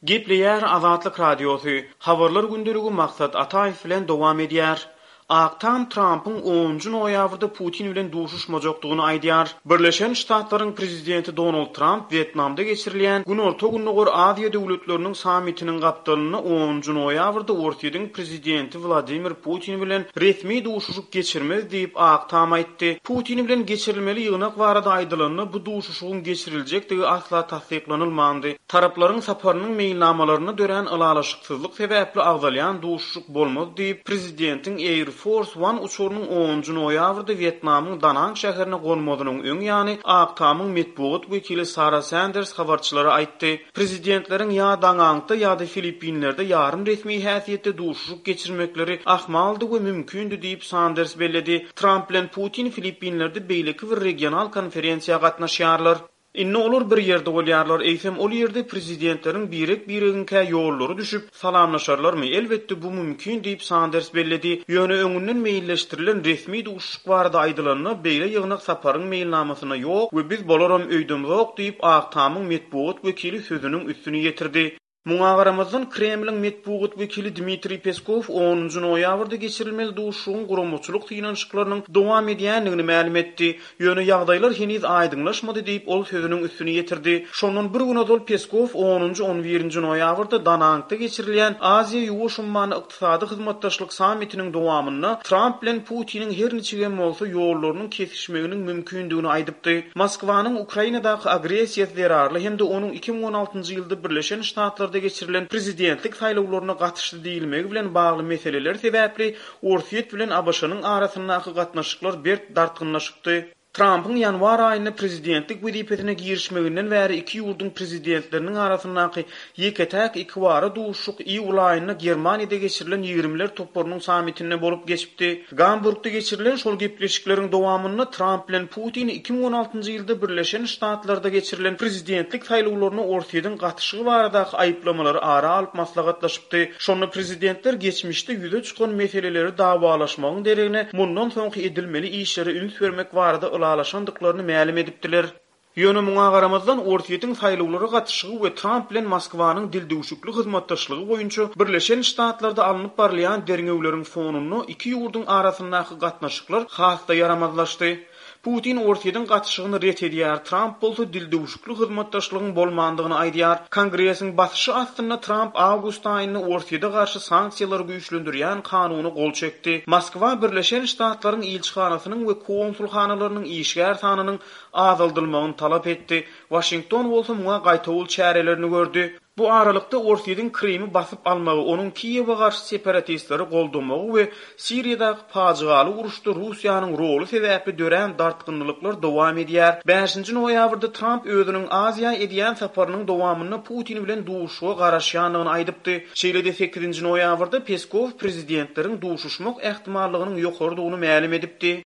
Gepleýär Azatlyk Radiosy, Habarlar gündeligi Maksat Ataýew bilen dowam edýär. Ak Tam Trampyň onunjy noýabrda Putin bilen duşuşmajakdygyny aýdýar. Birleşen Ştatlaryň prezidenti Donald Tramp Wýetnamda geçirilýän Günorta-Gündogar Aziýa döwletleriniň sammitiniň gapdalynda onunjy noýabrda Orsýetiň prezidenti Wladimir Putin bilen resmi duşuşyk geçirmez diýip, Ak Tam aýtdy. Putin bilen geçirilmeli ýygnak barada aýdylanda, bu duşuşygyň geçiriljekdigi asla tassyklanylmandy. Taraplaryň saparynyň meýilnamalarynda dörän ylalaşyksyzlyk sebäpli agzalýan duşuşyk bolmaz diýip, prezidentiň Air Force One uçarynyň onunjy noýabrda Wýetnamyň Danang şäherine gonmazynyň öň ýany Ak Tamyň metbugat wekili Sara Sanders habarçylara aýtdy. Prezidentleriň ýa Dangangda ýa-da Filippinlerde ýarym resmi häsiýetde duşuşyk geçirmekleri ahmaldy we mümkindi diýip, Sanders belledi. Tramp bilen Putin Filippinlerde beýleki bir regional konferensiýa gatnaşýarlar. Indi olar bir ýerde bolýarlar, eýsem ol ýerde prezidentleriň birek-biregiňkä ýollary düşüp, salamlaşarlarmy? Elbetde, bu mümkin diýip, Sanders belledi. Ýöne öňünden meýilleşdirilen resmi duşuşyk barada aýdylanda, beýle ýygnak saparyň meýilnamasynda ýok we biz bolaram öýdemzok diýip, Ak Tamyň metbugat wekili sözüniň üstüni ýetirdi. Muňa garamazdan, Kremliň metbugat wekili Dmitriý Peskow onunjy noýabrda geçirilmeli duşuşygyň guramaçylyk synanyşyklarynyň dowam edýändigini mälim etdi. Ýöne ýagdaýlar heniz aýdyňlaşmady diýip, ol sözüniň üstüni ýetirdi. Şondan bir gün ozal Peskow onunjy-on birinji noýabrda Danangda geçirilýän Aziýa-Ýuwaş ummany Ykdysady hyzmatdaşlyk sammitiniň dowamynda Tramp bilen Putiniň her niçigem bolsa ýollarynyň kesişmeginiň mümkindigini aýdypdy. Moskwanyň Ukrainadaky agressiýasy zerarly hem-de onuň 2016-njy ýylda Birleşen Ştatlarda geçirilen prezidentlik saýlawlaryna gatyşdy diýilmegi bilen bagly meseleler sebäpli Orsýet bilen ABŞ-nyň arasyndaky gatnaşyklar berk dartgynlaşypdy. Trampyň ýanwar aýynda prezidentlik wezipesine girişmeginden bäri iki ýurduň prezidentleriniň arasyndaky ýeke-täk ikibara duşuşyk iýul aýynda Germaniýada geçirilen Ýigrimiler toparynyň sammitinde bolup geçipdi. Gamburgda geçirilen şol gepleşikleriň dowamynda Tramp bilen Putin 2016-njy ýylda Birleşen Ştatlarda geçirilen prezidentlik saýlawlaryna Orsýetiň gatyşygy baradaky aýyplamalary ara alyp maslahatlaşypdy. Şonda prezidentler geçmişde ýüze çykan meseleleri dawalaşmagyň deregine mundan soňky edilmeli işlere üns bermek barada ylalaşandyklaryny mälim edipdiler. Ýöne muňa garamazdan, Orsýetiň saýlawlara gatyşygy we Tramp bilen Moskwanyň dildüwşükli hyzmatdaşlygy boýunça Birleşen Ştatlarda alnyp barylýan derňewleriň fonunda iki ýurduň arasyndaky gatnaşyklar has-da ýaramazlaşdy. Putin Orsýetiň gatyşygyny ret edýär, Tramp bolsa dildüwşükli hyzmatdaşlygyň bolmandygyny aýdýar. Kongresiň basyşy astynda Tramp awgust aýynda Orsýete garşy sanksiýalary güýçlendirýän kanuna gol çekdi. Moskwa Birleşen Ştatlaryň ilçihanasynyň we konsulhanalarynyň işgär sanynyň azaldylmagyny talap etdi. Waşington bolsa muňa gaýtawul çärelerini gördi. Bu aralykda, Orsýetiň Krymy basyp almagy, onuň Kiýewe garşy separatistleri goldamagy we Siriýadaky pajygaly uruşda Russiýanyň roly sebäpli dörän dartgynlylyklar dowam edýär. Bäşinji noýabrda Tramp özüniň Aziýa edýän saparynyň dowamynda Putin bilen duşuşyga garaşýandygyny aýdypdy. Şeýle-de sekizinji noýabrda Peskow prezidentleriň duşuşmak ähtimallygynyň ýokarydygyny mälim edipdi.